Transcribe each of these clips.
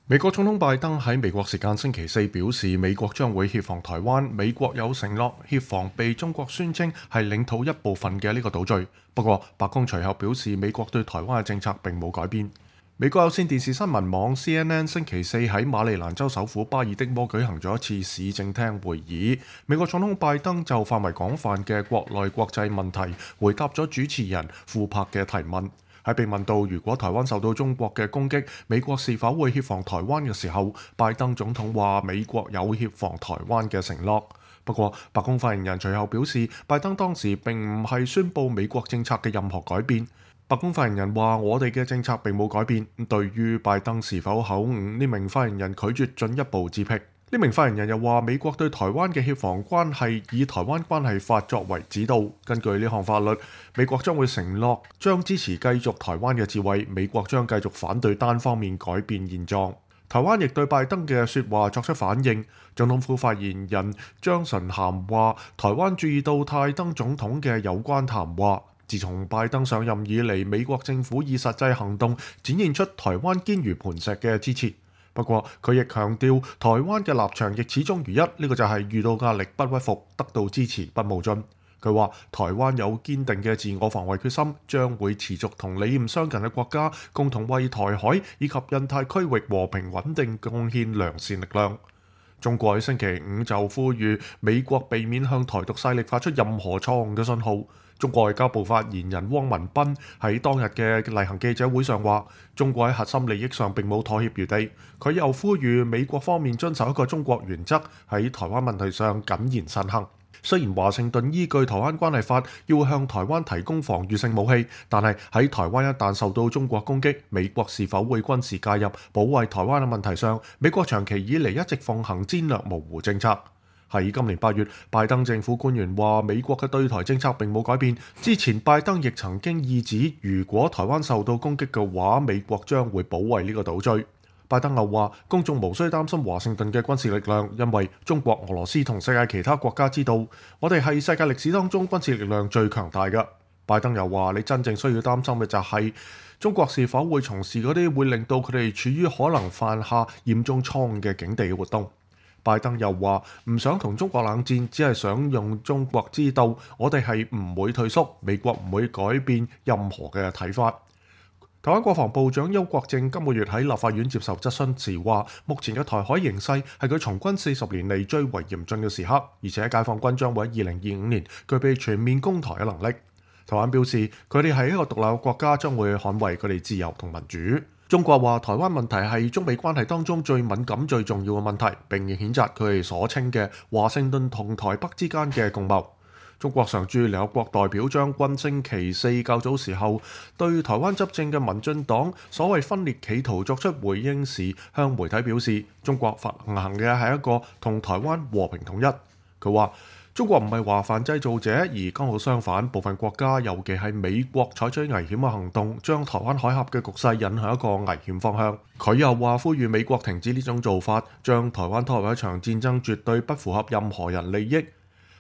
美國總統拜登喺美國時間星期四表示，美國將會協防台灣。美國有承諾協防被中國宣稱係領土一部分嘅呢個島嶼。不過，白宮隨後表示，美國對台灣嘅政策並冇改變。美國有線電視新聞網 CNN 星期四喺馬里蘭州首府巴爾的摩舉行咗一次市政廳會議。美國總統拜登就範圍廣泛嘅國內國際問題回答咗主持人庫珀嘅提問。喺被問到如果台灣受到中國嘅攻擊，美國是否會協防台灣嘅時候，拜登總統話美國有協防台灣嘅承諾。不過，白宮發言人隨後表示，拜登當時並唔係宣布美國政策嘅任何改變。白宮發言人話：我哋嘅政策並冇改變。對於拜登是否口誤，呢名發言人拒絕進一步置評。呢名發言人又話：美國對台灣嘅協防關係以《台灣關係法》作為指導。根據呢項法律，美國將會承諾將支持繼續台灣嘅自衛，美國將繼續反對單方面改變現狀。台灣亦對拜登嘅説話作出反應。總統府發言人張純涵話：台灣注意到拜登總統嘅有關談話。自從拜登上任以嚟，美國政府以實際行動展現出台灣堅如磐石嘅支持。不過，佢亦強調台灣嘅立場亦始終如一，呢個就係遇到壓力不屈服，得到支持不冒進。佢話：台灣有堅定嘅自我防衛決心，將會持續同理念相近嘅國家共同為台海以及印太區域和平穩定貢獻良善力量。中國喺星期五就呼籲美國避免向台獨勢力發出任何錯誤嘅信號。中國外交部發言人汪文斌喺當日嘅例行記者會上話：中國喺核心利益上並冇妥協餘地。佢又呼籲美國方面遵守一個中國原則，喺台灣問題上謹言慎行。雖然華盛頓依據《台灣關係法》要向台灣提供防禦性武器，但係喺台灣一旦受到中國攻擊，美國是否會軍事介入保衛台灣嘅問題上，美國長期以嚟一直奉行戰略模糊政策。喺今年8月，拜登政府官員話美國嘅對台政策並冇改變。之前拜登亦曾經意指，如果台灣受到攻擊嘅話，美國將會保衛呢個島嶼。拜登又話，公眾無需擔心華盛頓嘅軍事力量，因為中國、俄羅斯同世界其他國家知道，我哋係世界歷史當中軍事力量最強大嘅。拜登又話，你真正需要擔心嘅就係中國是否會從事嗰啲會令到佢哋處於可能犯下嚴重錯誤嘅境地嘅活動。拜登又話唔想同中國冷戰，只係想用中國知道我哋係唔會退縮，美國唔會改變任何嘅睇法。台灣國防部長邱國正今個月喺立法院接受質詢時話，目前嘅台海形勢係佢從軍40年嚟最為嚴峻嘅時刻，而且解放軍將會喺2025年具備全面攻台嘅能力。台灣表示佢哋係一個獨立嘅國家，將會捍衛佢哋自由同民主。中國話台灣問題係中美關係當中最敏感最重要嘅問題，並譴責佢哋所稱嘅華盛頓同台北之間嘅共謀。中國常駐聯合國代表張軍星期四較早時候對台灣執政嘅民進黨所謂分裂企圖作出回應時，向媒體表示中國實行嘅係一個同台灣和平統一。佢話中國唔係華泛製造者，而剛好相反，部分國家尤其係美國採取危險嘅行動，將台灣海峽嘅局勢引向一個危險方向。佢又話呼籲美國停止呢種做法，將台灣拖入一場戰爭，絕對不符合任何人利益。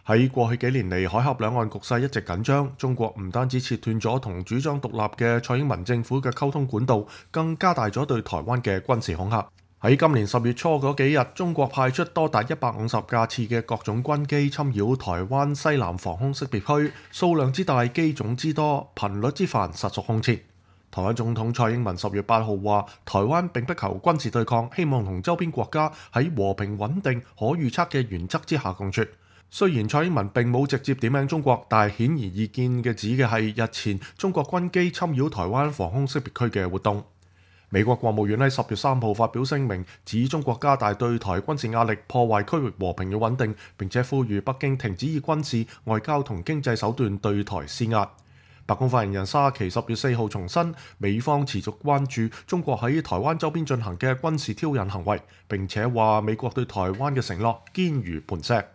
喺過去幾年嚟，海峽兩岸局勢一直緊張，中國唔單止切斷咗同主張獨立嘅蔡英文政府嘅溝通管道，更加大咗對台灣嘅軍事恐嚇。喺今年10月初嗰幾日，中國派出多達150架次嘅各種軍機侵擾台灣西南防空識別區，數量之大、機種之多、頻率之繁，實屬空前。台灣總統蔡英文10月8號話：台灣並不求軍事對抗，希望同周邊國家喺和平穩定、可預測嘅原則之下共處。雖然蔡英文並冇直接點名中國，但係顯而易見嘅指嘅係日前中國軍機侵擾台灣防空識別區嘅活動。美國國務院喺10月3號發表聲明，指中國加大對台軍事壓力，破壞區域和平與穩定，並且呼籲北京停止以軍事、外交同經濟手段對台施壓。白宮發言人沙奇10月4號重申，美方持續關注中國喺台灣周邊進行嘅軍事挑釁行為，並且話美國對台灣嘅承諾堅如磐石。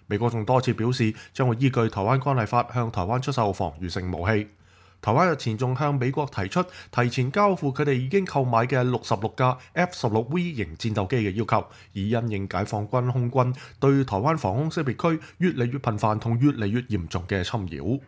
美國仲多次表示將會依據《台灣關係法》向台灣出售防禦性武器。台灣日前仲向美國提出提前交付佢哋已經購買嘅66架 F-16V 型戰鬥機嘅要求，以因應解放軍空軍對台灣防空識別區越嚟越頻繁同越嚟越嚴重嘅侵擾。